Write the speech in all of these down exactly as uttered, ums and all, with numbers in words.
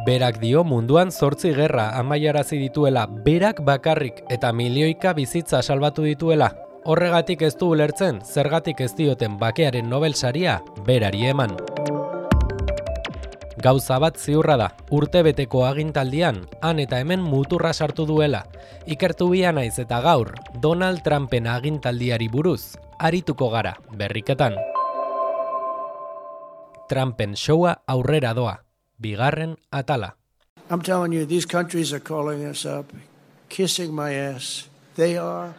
Berak dio munduan zortzi gerra amaiarazi dituela, berak bakarrik eta milioika bizitza salbatu dituela. Horregatik ez du ulertzen, zergatik ez dioten bakearen Nobel saria berari eman. Gauza bat ziurra da, urtebeteko agintaldian, han eta hemen muturra sartu duela. Ikertu bia naiz eta gaur, Donald Trumpen agintaldiari buruz, arituko gara, berriketan. Trumpen showa aurrera doa, bigarren atala. I'm telling you, these countries are calling us up, kissing my ass. They are,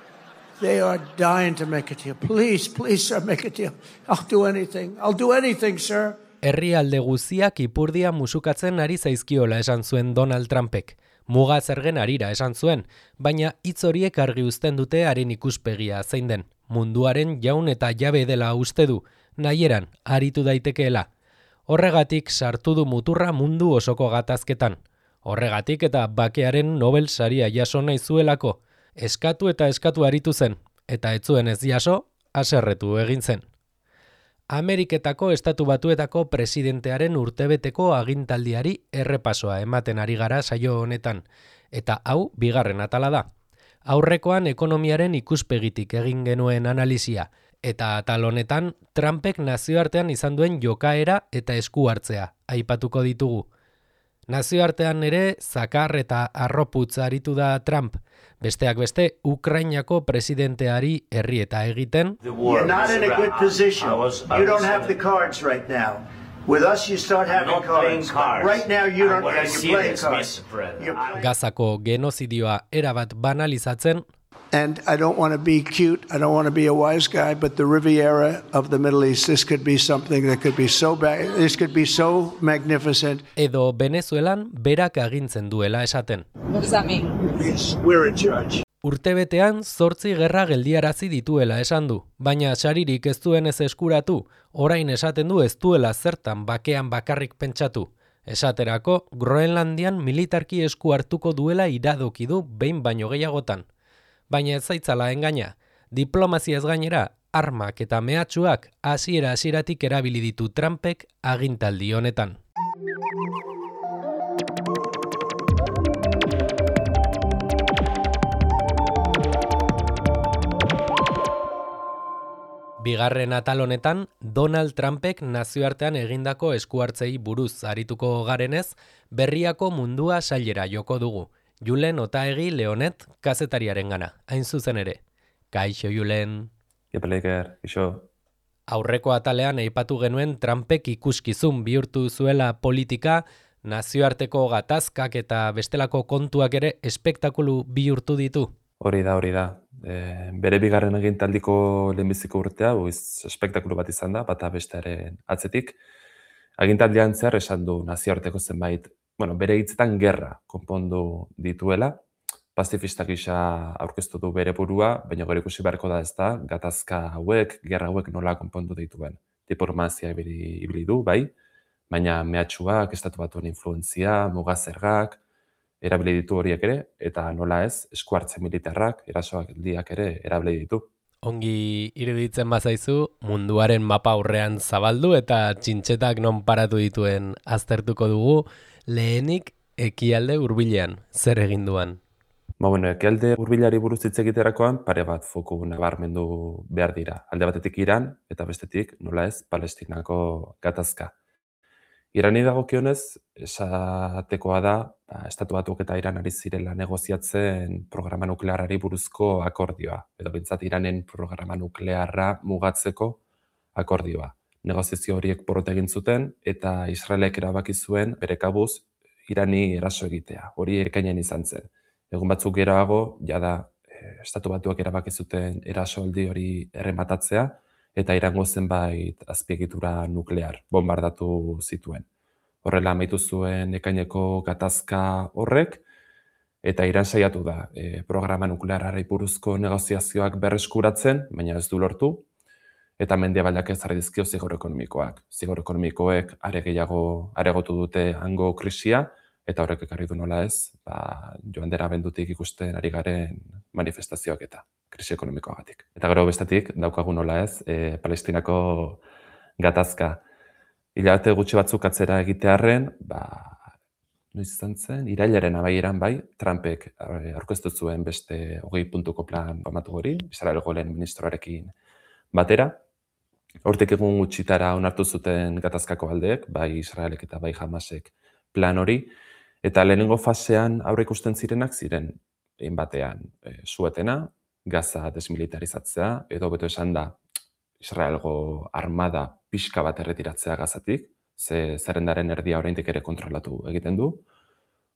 they are dying to make a deal. Please, please, sir, make a deal. I'll do anything. I'll do anything, sir. Herrialde guziak ipurdia musukatzen ari zaizkiola esan zuen Donald Trumpek. Muga zergen arira esan zuen, baina hitz horiek argi uzten dute haren ikuspegia zein den. Munduaren jaun eta jabe dela uste du, nahieran aritu daitekeela. Horregatik sartu du muturra mundu osoko gatazketan. Horregatik eta bakearen Nobel saria jaso nahi zuelako. Eskatu eta eskatu aritu zen, eta ez zuen ez jaso, haserretu egin zen. Ameriketako Estatu Batuetako presidentearen urtebeteko agintaldiari errepasoa ematen ari gara saio honetan, eta hau bigarren atala da. Aurrekoan ekonomiaren ikuspegitik egin genuen analisia, eta atal honetan Trumpek nazioartean izan duen jokaera eta esku hartzea aipatuko ditugu. Nazioartean ere zakar eta arroputz aritu da Trump, besteak beste Ukrainako presidenteari herri eta egiten. You're not in a good position. You don't have the cards right now. With us you start having cards. Right now you don't have you're playing cards. Gazako genozidioa erabat banalizatzen. And I don't want to be cute, I don't want to be a wise guy, but the Riviera of the Middle East, this could be something that could be so bad, this could be so magnificent. Edo Venezuelan berak agintzen duela esaten. What does that mean? Yes, we're in charge. Urtebetean zortzi gerra geldiarazi dituela esan du, baina saririk ez duen ez eskuratu, orain esaten du ez duela zertan bakean bakarrik pentsatu. Esaterako, Groenlandian militarki esku hartuko duela iradoki du behin baino gehiagotan. Baina ez zaitzala engaina, diplomaziaz gainera, armak eta mehatxuak hasiera hasieratik erabili ditu Trumpek agintaldi honetan. Bigarren atal honetan, Donald Trumpek nazioartean egindako eskuhartzei buruz arituko garenez, berriako mundua sailera joko dugu. Julen Otaegi Leonet kazetariaren gana, hain zuzen ere. Kaixo, Julen. Epeleker, iso. Aurreko atalean aipatu genuen Trumpek ikuskizun bihurtu zuela politika, nazioarteko gatazkak eta bestelako kontuak ere espektakulu bihurtu ditu. Hori da, hori da. E, bere bigarren agintaldiko lehenbiziko urtea, buiz, espektakulu bat izan da, bata bestearen atzetik. Agintaldian zehar esan du nazioarteko zenbait, bueno, bere hitzetan gerra konpondu dituela, pazifistak gisa aurkeztu du bere burua, baina gero ikusi beharko da ez da, gatazka hauek, gerra hauek nola konpondu dituen. Diplomazia ibili du, bai, baina mehatxuak, Estatu Batuen influentzia, mugazergak, erabili ditu horiek ere, eta nola ez, esku hartze militarrak, erasoak diak ere erabili ditu. Ongi iruditzen bazaizu, munduaren mapa aurrean zabaldu eta txintxetak non paratu dituen aztertuko dugu, lehenik ekialde hurbilean, zer egin duan? Ba, bueno, ekialde hurbilari buruz hitz egiterakoan pare bat foku nabarmendu behar dira. Alde batetik Iran eta bestetik, nola ez, Palestinako gatazka. Irani dagokionez, esatekoa da, ba, Estatu Batuak eta Iran ari zirela negoziatzen programa nuklearrari buruzko akordioa, edo bintzat Iranen programa nuklearra mugatzeko akordioa. Negoziazio horiek porrot egin zuten eta Israelek erabaki zuen bere kabuz Irani eraso egitea. Hori ekainean izan zen. Egun batzuk geroago, jada Estatu Batuak erabaki zuten erasoaldi hori errematatzea eta Irango zenbait azpiegitura nuklear bombardatu zituen. Horrela amaitu zuen ekaineko gatazka horrek eta Iran saiatu da e, programa nuklearrari buruzko negoziazioak berreskuratzen, baina ez du lortu. Eta mendebaldak ezarri dizkio zigor ekonomikoak. Zigor ekonomikoek are gehiago aregotu dute hango krisia, eta horrek ekarri du nola ez, ba, joan dena bendutik ikusten ari garen manifestazioak eta krisi ekonomikoagatik. Eta gero bestetik, daukagu nola ez, e, Palestinako gatazka. Hilabete gutxi batzuk atzera egitearren, ba, noiz izan zen, irailaren amaieran bai, Trumpek aurkeztu zuen beste hogei puntuko plan famatu hori, Israelgo lehen ministroarekin batera. Hortik egun gutxitara onartu zuten gatazkako aldeek, bai Israelek eta bai Hamasek plan hori, eta lehenengo fasean aurre ikusten zirenak ziren, egin batean, e, suetena, Gaza desmilitarizatzea, edo beto esan da, Israelgo armada pixka bat erretiratzea Gazatik, ze zerrendaren erdia oraindik ere kontrolatu egiten du,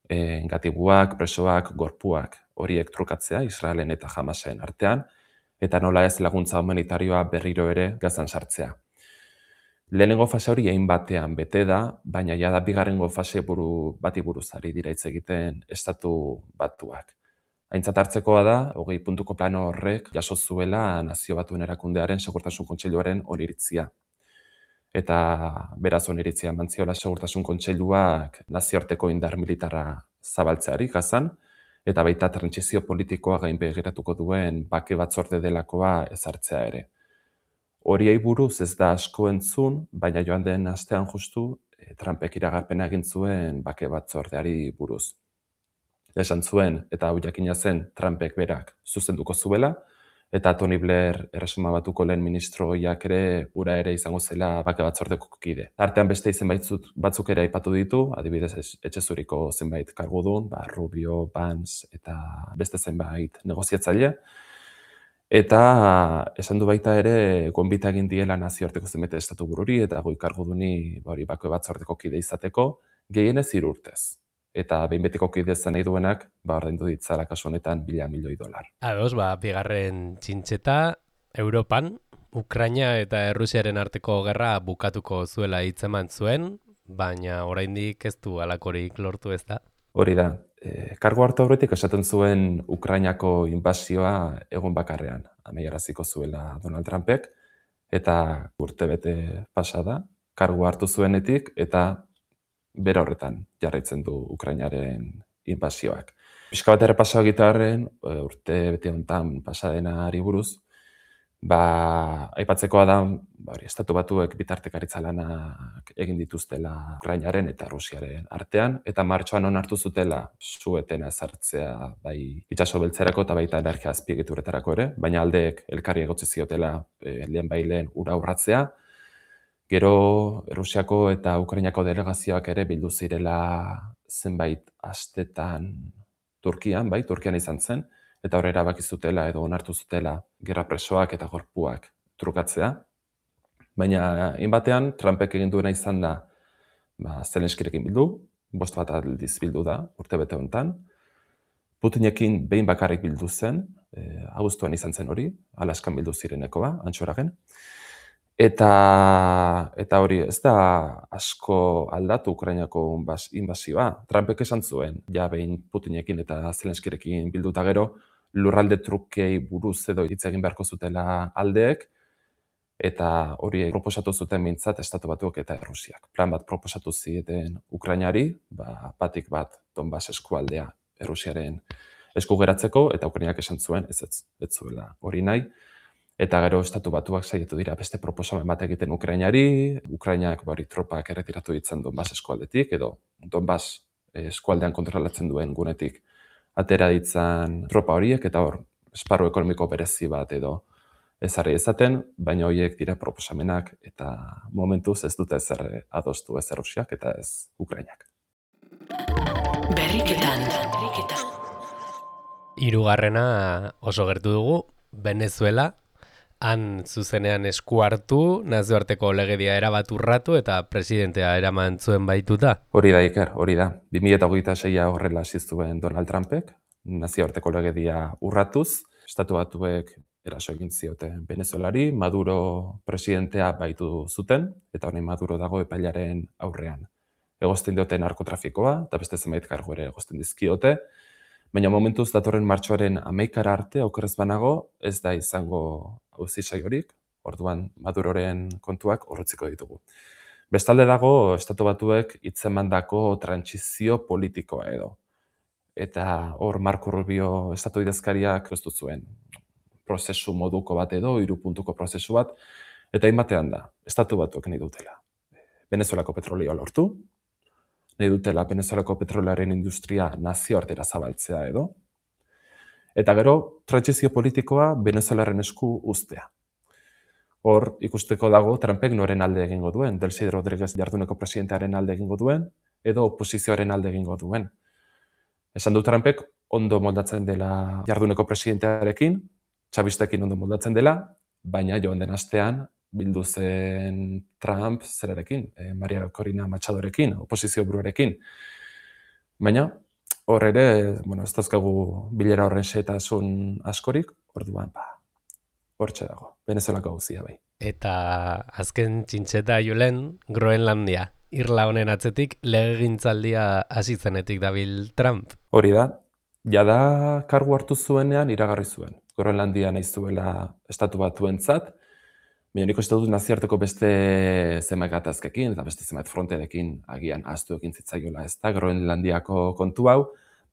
e, gatibuak, presoak, gorpuak horiek trukatzea Israelen eta Hamasen artean, eta nola ez laguntza humanitarioa berriro ere Gazan sartzea. Lehenengo fase hori egin batean bete da, baina ja da bigarrengo fase buru bati buruz ari dira hitz egiten estatu batuak. Aintzat hartzekoa da, hogei puntuko plano horrek jaso zuela Nazio Batuen Erakundearen Segurtasun Kontseiluaren oniritzia. Eta beraz oniritzia eman ziola Segurtasun Kontseiluak nazioarteko indar militarra zabaltzeari Gazan, eta baita trantsizio politikoa gainbegiratuko duen bake batzorde delakoa ezartzea ere. Horiei buruz ez da asko entzun, baina joan den astean justu Trumpek iragarpena egin zuen bake batzordeari buruz. Esan zuen, eta hau jakina zen, Trumpek berak zuzenduko zuela, eta Tony Blair Erresuma Batuko lehen ministroiak ere ura ere izango zela bake batzordeko kide. Artean beste izen batzuk ere aipatu ditu, adibidez etxezuriko zenbait kargudun, ba, Rubio, Vance eta beste zenbait negoziatzaile. Eta esan du baita ere gonbita egin diela nazioarteko zenbait estatu bururi eta goi karguduni hori bake batzordeko kide izateko gehienez hiru urtez. Eta behin betiko kide izan nahi duenak, ba ordaindu ditzala kasu honetan mila milioi dolar. Ados, ba, bigarren txintxeta, Europan, Ukraina eta Errusiaren arteko gerra bukatuko zuela hitzeman zuen, baina oraindik ez du halakorik lortu ez da. Hori da, e, kargu hartu aurretik esaten zuen Ukrainako inbasioa egun bakarrean amaieraziko zuela Donald Trumpek, eta urtebete pasa da, kargu hartu zuenetik, eta bera horretan jarraitzen du Ukrainaren inbasioak. Pixka bat errepaso egitearren, urte bete honetan pasadenari buruz, ba, aipatzekoa da, ba, estatu batuek bitartekaritza lanak egin dituztela Ukrainaren eta Rusiaren artean, eta martxoan onartu zutela suetena ezartzea bai itsaso beltzerako eta baita energia azpiegituretarako ere, baina aldeek elkarri egotzi ziotela e, lehen bailen ura urratzea. Gero Rusiako eta Ukrainako delegazioak ere bildu zirela zenbait astetan Turkian, bai, Turkian izan zen, eta hor erabaki zutela edo onartu zutela gerra presoak eta gorpuak trukatzea. Baina inbatean Trumpek egin duena izan da, ba, Zelenskirekin bildu, bost bat aldiz bildu da urte bete honetan. Putinekin behin bakarrik bildu zen, e, abuztuan izan zen hori, Alaskan bildu zirenekoa, Antxoragen. Eta, eta hori ez da asko aldatu Ukrainako inbasioa. Trumpek esan zuen, ja behin Putinekin eta Zelenskirekin bilduta gero, lurralde trukei buruz edo hitz egin beharko zutela aldeek, eta hori proposatu zuten behintzat Estatu Batuak eta Errusiak. Plan bat proposatu zieten Ukrainari, ba, batik bat Donbas eskualdea Errusiaren esku geratzeko, eta Ukrainak esan zuen ez ez, ez zuela hori nahi. Eta gero Estatu Batuak saiatu dira beste proposamen bat egiten Ukrainari, Ukrainak hori tropak erretiratu ditzen Donbas eskualdetik, edo Donbas eskualdean kontrolatzen duen gunetik atera ditzan tropa horiek, eta hor, esparru ekonomiko berezi bat edo ezarri ezaten, baina horiek dira proposamenak, eta momentuz ez dute ezer adostu ez Errusiak eta ez Ukrainak. Berriketan. Hirugarrena oso gertu dugu, Venezuela. Han zuzenean esku hartu, nazioarteko legedia erabat urratu eta presidentea eraman zuen baituta. Hori da, Iker, hori da. bi mila hogeita seia horrela hasi zuen Donald Trumpek, nazioarteko legedia urratuz, Estatu Batuek eraso egin zioten Venezuelari, Maduro presidentea baitu zuten, eta honen Maduro dago epailaren aurrean. Egozten dioten narkotrafikoa, eta beste zenbait kargu ere egozten dizkiote, baina momentuz datorren martxoaren hamaikara arte, okerrez banago, ez da izango auzi saiorik, orduan Maduroren kontuak horretziko ditugu. Bestalde dago, Estatu Batuek hitzemandako trantsizio politikoa edo. Eta hor Marco Rubio estatu idazkariak ez zuen prozesu moduko bat edo, hiru puntuko prozesu bat, eta hainbatean da, Estatu Batuek nahi dutela. Venezuelako petrolioa lortu, nahi dutela Venezuelako petrolaren industria nazioartera zabaltzea edo. Eta gero, trantsizio politikoa Venezuelaren esku uztea. Hor, ikusteko dago, Trumpek noren alde egingo duen, Delcy Rodríguez jarduneko presidentearen alde egingo duen, edo oposizioaren alde egingo duen. Esan du Trumpek ondo moldatzen dela jarduneko presidentearekin, txabistekin ondo moldatzen dela, baina joan den astean bildu zen Trump zerarekin, eh, Maria Corina Machadorekin, oposizio buruarekin. Baina, hor ere, bueno, ez dauzkagu bilera horren xehetasun askorik, orduan, ba, hortxe dago, Venezuelako gauzia bai. Eta azken txintxeta Julen, Groenlandia. Irla honen atzetik legegintzaldia hasi zenetik dabil Trump. Hori da, jada kargu hartu zuenean iragarri zuen. Groenlandia nahi zuela estatu batuentzat, baina nik uste dut nazioarteko beste zenbait gatazkekin eta beste zenbait frontearekin agian ahaztu egin zitzaiola, ez da, Groenlandiako kontu hau,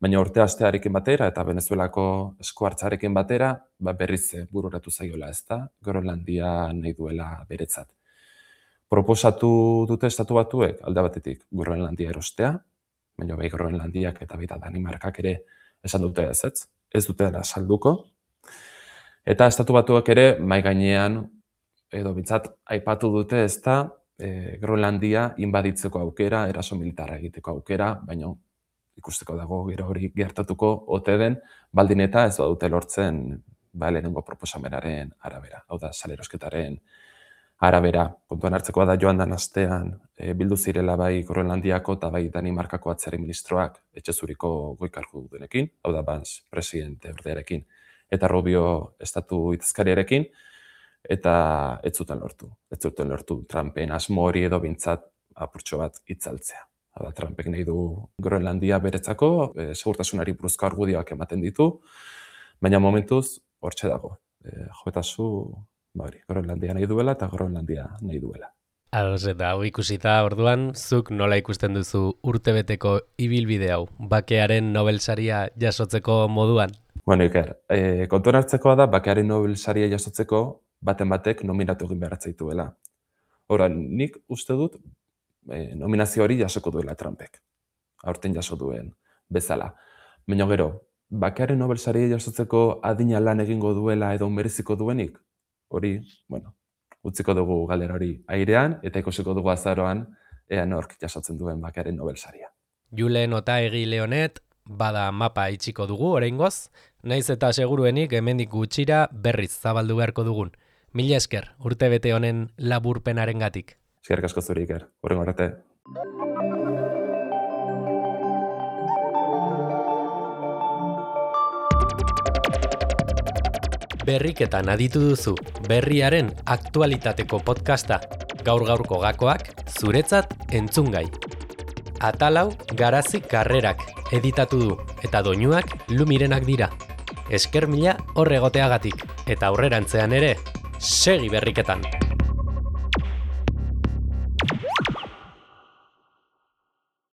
baina urte astearekin batera eta Venezuelako esku hartzarekin batera, ba berriz bururatu zaiola, ez da, Groenlandia nahi duela beretzat. Proposatu dute estatu batuek alde batetik Groenlandia erostea, baina bai Groenlandiak eta baita Danimarkak ere esan dute ez, ez, ez dutela salduko. Eta estatu batuak ere mai gainean edo bintzat aipatu dute ez da e, Groenlandia inbaditzeko aukera, eraso militarra egiteko aukera, baina ikusteko dago gero hori gertatuko ote den, baldin eta ez badute lortzen ba, lehenengo proposamenaren arabera, hau da salerosketaren arabera. Kontuan hartzekoa da joan dan astean e, bildu zirela bai Groenlandiako eta bai Danimarkako atzerri ministroak etxezuriko goikargudunekin, hau da Vance presidente ordearekin, eta Rubio estatu itazkariarekin, eta ez zuten lortu. Ez zuten lortu Trumpen asmo hori edo bintzat apurtxo bat itzaltzea. Hau da, Trumpek nahi du Groenlandia beretzako, e, segurtasunari buruzko argudioak ematen ditu, baina momentuz hortxe dago. E, joetazu Bari, Groenlandia nahi duela eta Groenlandia nahi duela. Ados, eta hau ikusita orduan, zuk nola ikusten duzu urtebeteko ibilbide hau, bakearen Nobel saria jasotzeko moduan? Bueno, Iker, e, kontuan hartzekoa da, bakearen Nobel saria jasotzeko baten batek nominatu egin behar zaituela. Horan, nik uste dut e, nominazio hori jasoko duela Trumpek, aurten jaso duen bezala. Baina gero, bakearen Nobel saria jasotzeko adina lan egingo duela edo mereziko duenik, hori, bueno, utziko dugu galdera hori airean, eta ikusiko dugu azaroan ea nork jasotzen duen bakearen Nobel saria. Julen Otaegi Leonet, bada mapa itxiko dugu oraingoz, naiz eta seguruenik hemendik gutxira berriz zabaldu beharko dugun. Mila esker, urtebete honen laburpenarengatik. Eskerrik asko zuri, Iker. Hurrengo arte. Berriketan aditu duzu, berriaren aktualitateko podcasta, gaur-gaurko gakoak, zuretzat entzungai. Atalau Garazi Karrerak editatu du, eta doinuak Lumirenak dira. Esker mila horregoteagatik, eta aurrerantzean ere, segi berriketan!